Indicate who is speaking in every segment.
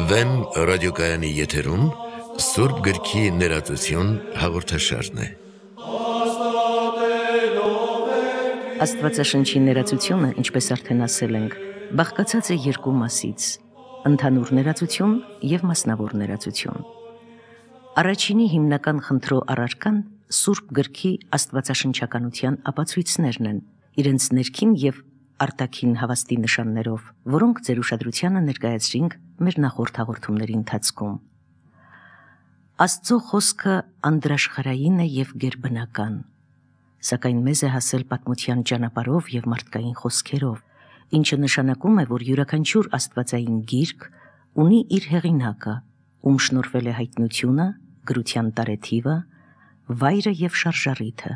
Speaker 1: Վեմ ռադիոկայանի եթերում Սուրբ գրքի ներածություն հաղորդաշարն է։
Speaker 2: Աստվածաշնչի ներածությունը, ինչպես արդեն ասել ենք, բաղկացած է երկու մասից՝ ընդհանուր ներածություն և մասնավոր ներածություն։ Առաջինի հիմնական խնդրո առարկան Սուրբ գրքի աստվածաշնչականության ապացույցներն են, իրենց ներքին և արտաքին հավաստի նշաններով, որոնք ձեր ուշադրությանը ներկայացրինք մեր նախորդ հաղորդումների ընթացքում։ Աստծո խոսքը անդրաշխարհային է և գերբնական, սակայն մեզ է հասել պատմության ճանապարհով և մարդկային խոսքերով, ինչը նշանակում է, որ յուրաքանչյուր աստվածային գիրք ունի իր հեղինակը, ում շնորհվել է հայտնությունը, գրության տարեթիվը, վայրը և շարժառիթը,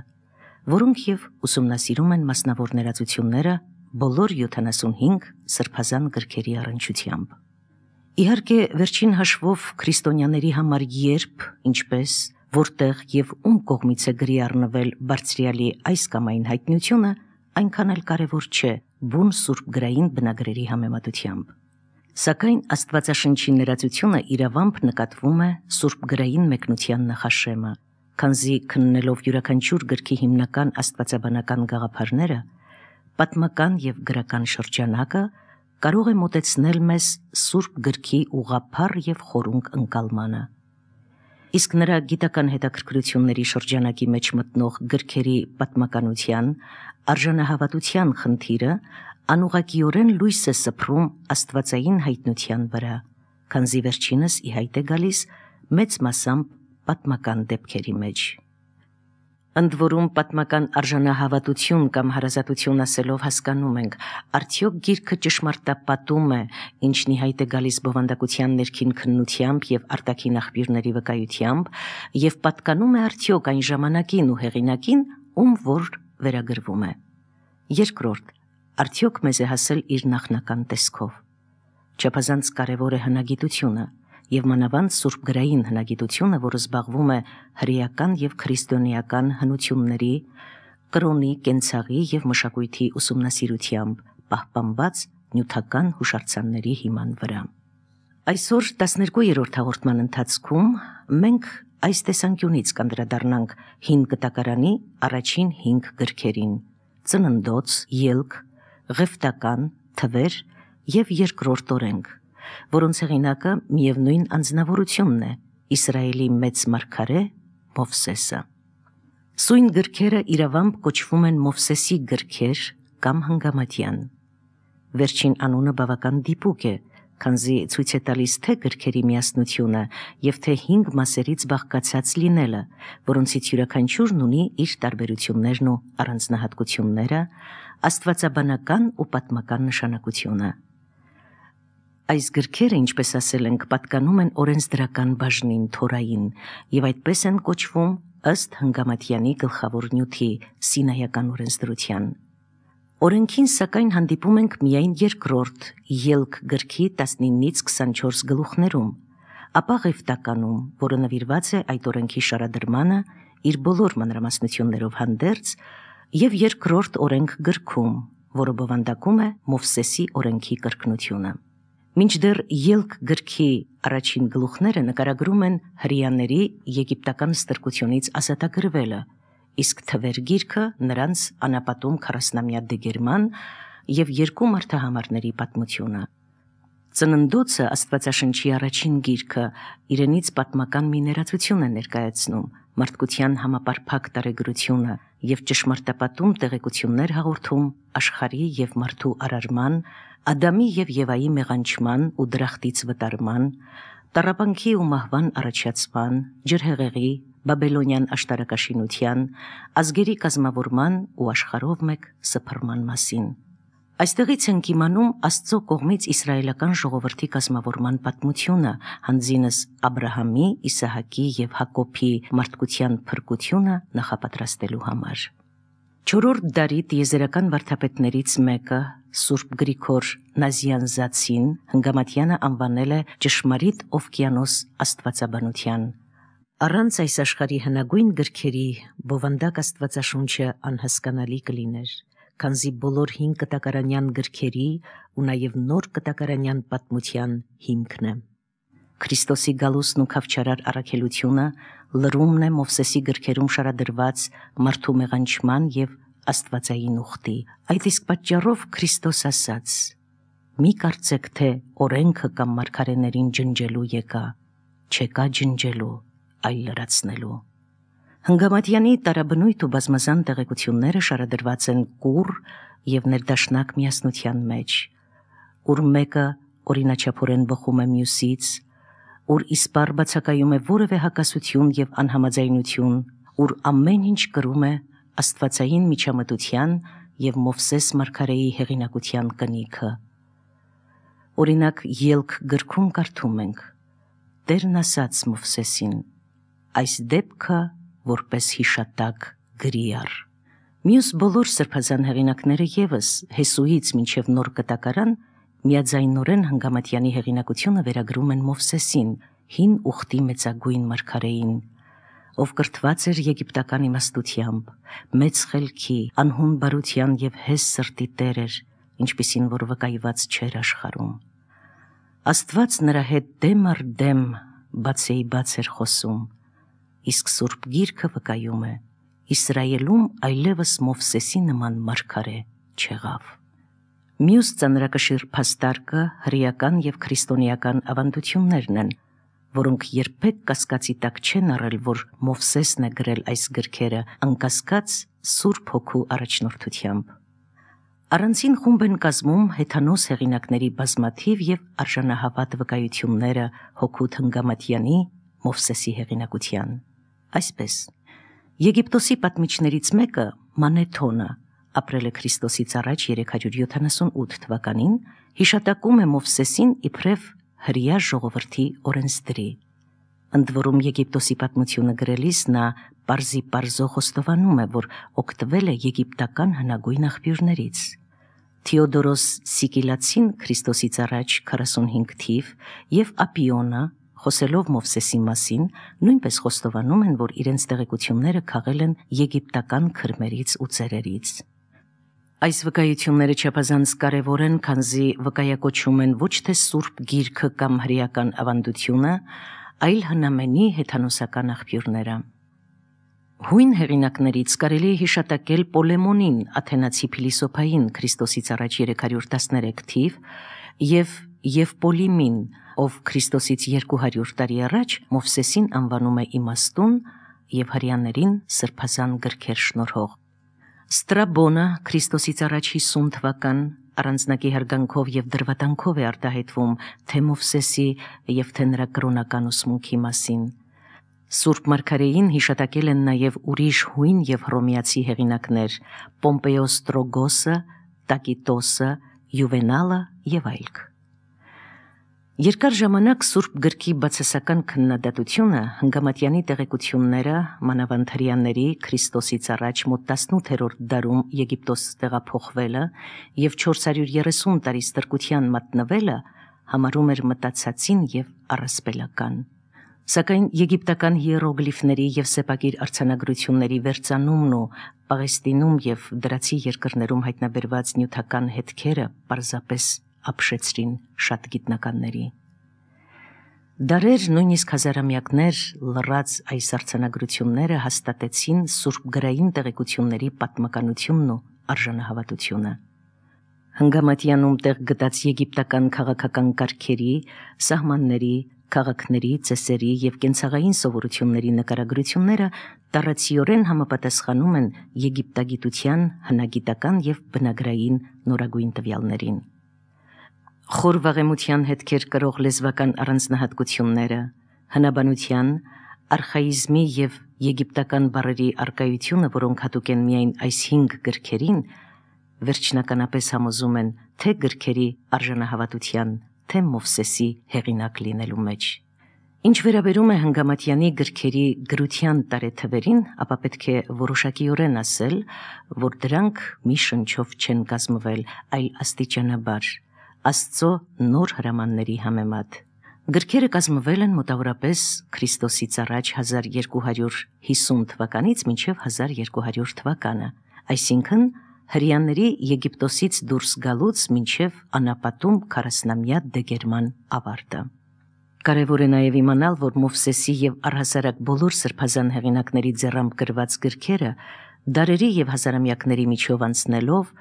Speaker 2: որոնք և ուսումնասիրում են մասնավոր ներածությունները բոլոր 75 սրբազան գրքերի առնչությամբ։ Իհարկե, վերջին հաշվով քրիստոնյաների համար երբ, ինչպես, որտեղ և ում կողմից է գրի առնվել բարձրյալի այս կամ այն հայտնությունը, այնքան էլ կարևոր չէ բուն սուրբգրային բնագրերի համեմատությամբ։ Սակայն Աստվածաշնչի ներածությունը իրավամբ նկատվում է սուրբգրային մեկնության նախաշեմը, քանզի քննելով յուրաքանչյուր գրքի հիմնական աստվածաբանական գաղափարները, պատմական և գրական շրջանակը կարող է մոտեցնել մեզ Սուրբ գրքի ուղղափառ և խորունկ ընկալմանը։ Իսկ նրա գիտական հետաքրքրությունների շրջանակի մեջ մտնող գրքերի պատմականության, արժանահավատության խնդիրը անուղղակիորեն լույս է սփռում աստվածային հայտնության վրա, քանզի վերջինս ի հայտ է գալիս մեծ մասամբ պատմական դեպքերի մեջ։ Ընդ որում պատմական արժանահավատություն կամ հարազատություն ասելով հասկանում ենք, արդյոք գիրքը ճշմարտապատում է, ինչն ի հայտ է գալիս բովանդակության ներքին քննությամբ և արտաքին աղբյուրների վկայությամբ, և պատկանում է արդյոք այն ժամանակին ու հեղինակին, ում որ վերագրվում է։ Երկրորդ, արդյոք մեզ է հասել իր նախնական տեսքով։ Չափազանց կարևոր է հնագիտությունը, և մանավանդ սուրբգրային հնագիտությունը, որը զբաղվում է հրեական և քրիստոնեական հնությունների, կրոնի, կենցաղի և մշակույթի ուսումնասիրությամբ, պահպանված նյութական հուշարձանների հիման վրա։ Այսօր 12-րդ հաղորդման ընթացքում մենք այս տեսանկյունից կանդրադառնանք Հին Կտակարանի առաջին 5 գրքերին՝ Ծննդոց, Ելք, Ղևտական, Թվեր և Երկրորդ օրենք, որոնց հեղինակը միևնույն անձնավորությունն է՝ Իսրայելի մեծ մարգարե Մովսեսը։ Սույն գրքերը իրավամբ կոչվում են Մովսեսի գրքեր կամ Հնգամատյան։ Վերջին անունը բավական դիպուկ է, քանզի ցույց է տալիս թե գրքերի միասնությունը և թե 5 մասերից բաղկացած լինելը, որոնցից յուրաքանչյուրն ունի իր տարբերություններն ու առանձնահատկությունները, աստվածաբանական ու պատմական նշանակությունը։ Այս գրքերը, ինչպես ասել ենք, պատկանում են օրենսդրական բաժնին, Թորային, և այդպես են կոչվում ըստ Հնգամատյանի գլխավոր նյութի՝ Սինայական օրենսդրության։ Օրենքին սակայն հանդիպում ենք միայն երկրորդ Ելք գրքի 19-ից 24 գլուխներում, ապա Ղևտականում, որը նվիրված է այդ օրենքի շարադրմանը իր բոլոր մանրամասնություններով հանդերձ, և Երկրորդ օրենք գրքում, որը բովանդակում է Մովսեսի օրենքի կրկնությունը։ Մինչդեռ Ելք գրքի առաջին գլուխները նկարագրում են հրեաների եգիպտական ստրկությունից ազատագրվելը, իսկ Թվեր գիրքը նրանց անապատում 40-ամյա դեգերման և 2 մարդահամարների պատմությունը։ Ծննդոցը Աստվածաշնչի առաջին գիրքը իրենից պատմական մի ներածություն է ներկայացնում, մարդկության համապարփակ տարեգրությունը և ճշմարտապատում տեղեկություններ հաղորդում աշխարհի և մարդու արարման, Ադամի և Եվայի մեղանչման ու դրախտից վտարման, տառապանքի ու մահվան առաջացման, ջրհեղեղի, բաբելոնյան աշտարակաշինության, ազգերի կազմավորման ու աշխարհով մեկ սփռման մասին։ Այստեղից ենք իմանում Աստծո կողմից իսրայելական ժողովրդի կազմավորման պատմությունը, հանձինս Աբրահամի, Իսահակի և Հակոբի մարդկության փրկությունը նախապատրաստելու համար։ Չորրորդ դարի տիեզերական վարդապետներից մեկը, Սուրբ Գրիգոր Նազյանզացին, Հնգամատյանը անվանել է ճշմարիտ օվկիանոս աստվածաբանության։ Առանց այս աշխարհի հնագույն գրքերի բովանդակ Աստվածաշունչը անհասկանալի կլիներ, քանզի բոլոր հին կտակարանյան գրքերի ու նաև նոր կտակարանյան պատմության հիմքն է։ Քրիստոսի գալուստն ու քավչարար առաքելությունը լրումն է Մովսեսի գրքերում շարադրված մարդու մեղանչման եւ աստվածային ուխտի։ Այդ իսկ պատճառով Քրիստոս ասաց. «Մի կարծեք, թե օրենքը կամ մարգարեներին ջնջելու եկա, չեկա ջնջելու, այլ լրացնելու»։ Հնգամատյանի տարաբնույթ ու բազմազան տեղեկությունները շարադրված են կուռ եւ ներդաշնակ միասնության մեջ, ուր մեկը օրինաչափորեն բխում է մյուսից, ուր իսպառ բացակայում է որևէ հակասություն եւ անհամաձայնություն, ուր ամեն ինչ կրում է աստվածային միջամտության եւ Մովսես մարգարեի հեղինակության կնիքը։ Օրինակ, Ելք գրքում կարդում ենք. Տերն ասաց Մովսեսին. «Այս դեպքը որպես հիշատակ գրի առ»։ Մյուս բոլոր սրբազան հեղինակները եւս Հեսուից մինչև նոր կտակարան միաձայնորեն Հնգամատյանի հեղինակությունը վերագրում են Մովսեսին, հին ուխտի մեծագույն մարգարեին, ով կրթված էր եգիպտական իմաստությամբ, մեծ խելքի, անհուն բարության եւ հես սրտի տեր էր, ինչպիսին որ վկայված չէր աշխարհում։ Աստված նրա հետ դեմ առ դեմ բացեի բաց էր խոսում, իսկ Սուրբ Գիրքը վկայում է. Իսրայելում այլևս Մովսեսի նման մարգարե չեղավ։ Մյուս ծանրակշիռ փաստարկը հրեական եւ քրիստոնեական ավանդություններն են, որոնք երբեք կասկածի տակ չեն առել, որ Մովսեսն է գրել այս գրքերը անկասկած Սուրբ Հոգու առաջնորդությամբ։ Առանցին խումբ են կազմում հեթանոս հեղինակների բազմաթիվ եւ արժանահավատ վկայությունները Հոգուտ Հնգամատյանի Մովսեսի հեղինակության։ Այսպես, Եգիպտոսի պատմիչներից մեկը Մանեթոնը, ապրել է Քրիստոսից առաջ 378 թվականին, հիշատակում է Մովսեսին իբրև հրեա ժողովրդի օրենսդրի։ Ընդ որում Եգիպտոսի պատմությունը գրելիս նա պարզի խոստովանում է, որ օգտվել է եգիպտական հնագույն աղբյուրներից։ Թեոդորոս Սիկիլացին Քրիստոսից առաջ 45 թիվ եւ Ապիոնը, խոսելով Մովսեսի մասին, նույնպես խոստովանում են, որ իրենց տեղեկությունները քաղել են եգիպտական քրմերից ու ծերերից։ Այս վկայությունները չափազանց կարևոր են, քանզի վկայակոչում են ոչ թե Սուրբ Գիրքը կամ հրեական ավանդությունը, այլ հնամենի հեթանոսական աղբյուրները։ Հույն հեղինակներից կարելի է հիշատակել Պոլեմոնին, աթենացի փիլիսոփային Քրիստոսից առաջ 313 թիվ, եւ Եվպոլիմին, ով Քրիստոսից 200 տարի առաջ Մովսեսին անվանում է իմաստուն եւ հրեաներին սրբազան գրքեր շնորհող։ Ստրաբոնը Քրիստոսից առաջ 50 թվական առանձնակի հարգանքով եւ դրվատանքով է արտահայտվում թե Մովսեսի եւ թե նրա կրոնական ուսմունքի մասին։ Սուրբ Մարգարեին հիշատակել են նաև ուրիշ հույն եւ հռոմեացի հեղինակներ Պոմպեոս Ստրոգոսը, Տակիտոսը, Յուվենալը եւ այլք։ Երկար ժամանակ Սուրբ Գրքի բացասական քննադատությունը Հնգամատյանի տեղեկությունները մանավանդ հրեաների Քրիստոսից առաջ մոտ 18-րդ դարում Եգիպտոս տեղափոխվելը եւ 430 տարի ստրկության մատնվելը համարում էր մտածածին եւ առասպելական։ Սակայն եգիպտական հիերոգլիֆների եւ սեպագիր արձանագրությունների վերծանումն ու Պաղեստինում եւ դրացի երկրներում հայտնաբերված նյութական հետքերը պարզապես ապշեցրին շատ գիտնականների։ Դարեր, նույնիսկ հազարամյակներ լռած այս արձանագրությունները հաստատեցին Սուրբ գրային տեղեկությունների պատմականությունն ու արժանահավատությունը։ Հնգամատյանում տեղ գտած եգիպտական քաղաքական կարգերի, սահմանների, քաղաքների, ծեսերի եւ կենցաղային սովորությունների նկարագրությունները տարածիորեն համապատասխանում են եգիպտագիտության հնագիտական եւ բնագրային նորագույն տվյալներին։ Խոր վաղեմության հետքեր կրող լեզվական առանձնահատկությունները, հնաբանության, արխաիզմի եւ եգիպտական բառերի առկայությունը, որոնք հատուկ են միայն այս 5 գրքերին, վերջնականապես համոզում են թե գրքերի արժանահավատության, թե Մովսեսի հեղինակ լինելու մեջ։ Ինչ վերաբերում է Հնգամատյանի գրքերի գրության տարեթվերին, ապա պետք է որոշակիորեն ասել, որ դրանք մի շնչով չեն կազմվել, այլ աստիճանաբար, Աստծո նոր հրամանների համեմատ։ Գրքերը կազմվել են մոտավորապես Քրիստոսից առաջ 1250 թվականից մինչև 1200 թվականը, այսինքն հրեաների Եգիպտոսից դուրս գալուց մինչև անապատում 40-ամյա դեգերման ավարտը։ Կարևոր է նաև իմանալ, որ Մովսեսի եւ առհասարակ բոլոր սրբազան հեղինակների ձեռամբ գրված գրքերը դարերի եւ հազարամյակների միջով անցնելով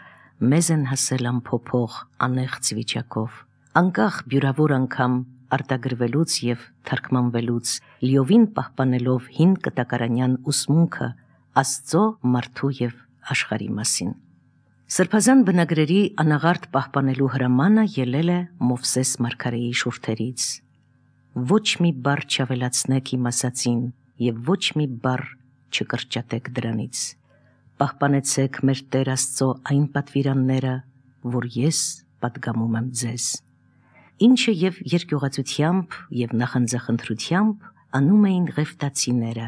Speaker 2: մեզ են հասել ամփոփող անեղծ վիճակով, անկախ բյուրավոր անգամ արտագրվելուց եւ թարգմանվելուց, լիովին պահպանելով հին կտակարանյան ուսմունքը Աստծո, մարդու եւ աշխարհի մասին։ Սրբազան բնագրերի անաղարտ պահպանելու հրամանը ելել է Մովսես մարգարեի շուրթերից։ Ոչ մի բառ չավելացնեք իմ ասածին եւ ոչ մի բառ չկրճատեք դրանից։ Պահպանեցեք մեր Տեր Աստծո այն պատվիրանները, որ ես պատգամում եմ ձեզ։ Ինչը եւ երկյուղացությամբ եւ նախանձախնդրությամբ անում էին Ղևտացիները,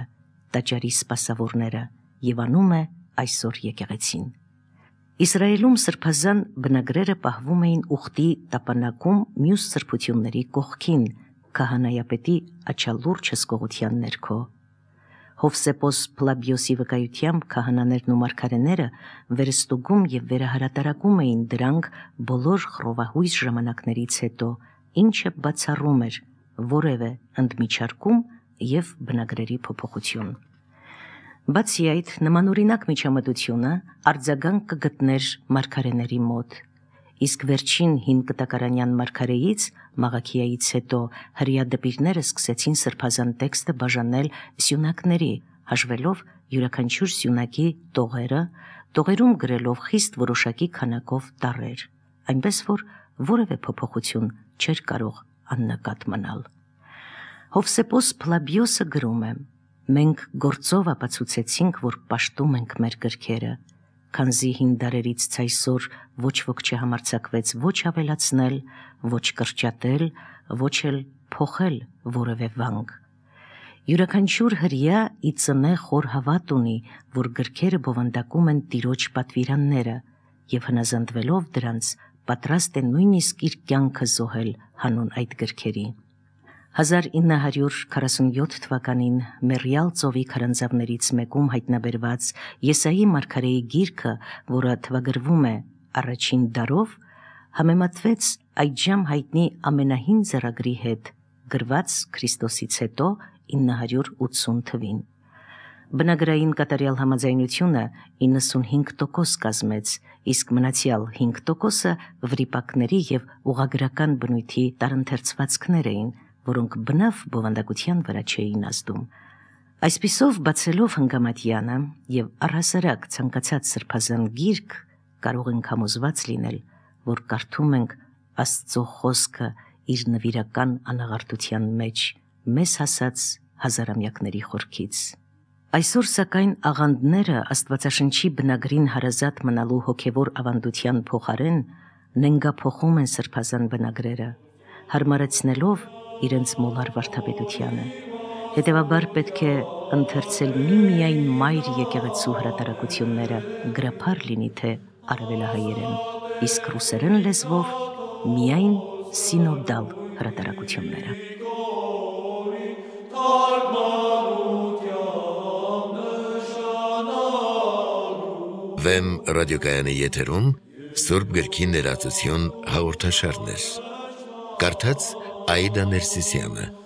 Speaker 2: տաճարի սպասավորները, եւ անում է այսօր եկեղեցին։ Իսրայելում սրբազան բնագրերը պահվում էին ուխտի տապանակում մյուս սրբությունների կողքին, քահանայապետի աչալուրջ հսկողության ներքո։ Հովսեփոս Փլաբիոսի վկայությամբ քահանաներն ու մարգարեները վերստուգում եւ վերահրատարակում էին դրանք բոլոր խռովահույս ժամանակներից հետո, ինչը բացառում էր որևէ ընդմիջարկում եւ բնագրերի փոփոխություն։ Բացի այդ, նմանօրինակ միջամտությունը արձագանք կգտներ մարգարեների մոտ, իսկ վերջին հին կտակարանյան մարգարեից Մաղաքիայից հետո հրեա դպիրները սկսեցին սրբազան տեքստը բաժանել սյունակների, հաշվելով յուրաքանչյուր սյունակի տողերը, տողերում գրելով խիստ որոշակի քանակով տառեր, այնպես որ որևէ փոփոխություն չէր կարող աննկատ մնալ։ Հովսեփոս Փլաբիոսը գրում է. «Մենք գործով ապացուցեցինք, որ պաշտում ենք մեր գրքերը, քանզի հին դարերից ցայսօր ոչ ոք չհամարձակվեց ոչ ավելացնել, ոչ կրճատել, ոչ էլ փոխել որևէ վանք։ Յուրաքանչյուր հրեա ի ծնե խոր հավատ ունի, որ գրքերը բովանդակում են Տիրոջ պատվիրանները եւ հնազանդվելով դրանց պատրաստ է նույնիսկ իր կյանքը զոհել հանուն այդ գրքերի։ 1947 թվականին Մերիալ ծովի քարանձավներից մեկում հայտնաբերված Եսայի մարգարեի գիրքը, որը թվագրվում է առաջին դարով, համեմատվեց այդժամ հայտնի ամենահին ձեռագրի հետ, գրված Քրիստոսից հետո 980 թվին։ Բնագրային կատարյալ համաձայնությունը 95% կազմեց, իսկ մնացյալ 5%-ը վրիպակների եւ ուղղագրական բնույթի տարընթերցվածքներ էին, որոնք բնավ բովանդակության վրա չէին ազդում։ Այսպիսով բացելով հնգամատյանը եւ առհասարակ ցանկացած սրբազան գիրք կարող ենք համոզված լինել, որ կարդում ենք Աստծո խոսքը իր նվիրական անաղարտության մեջ, մեզ հասած հազարամյակների խորքից։ Այսօր սակայն աղանդները Աստվածաշնչի բնագրին հարազատ մնալու հոգևոր ավանդության փոխարեն նենգափոխում են սրբազան բնագրերը, հարմարեցնելով իրենց մոլար վարդապետությանը։ Հետևաբար պետք է ընթերցել միմիայն մայր եկեղեցու հրատարակությունները, գրափար լինի թե արևելահայերեն, իսկ ռուսերեն լեզվով միայն սինոդալ հրատարակությունները։
Speaker 1: Վեմ ռադիոկայանի եթերում Սուրբ գրքի ներածություն հաղորդաշարներ։ Կարդաց Աիդա Ներսիսյանը։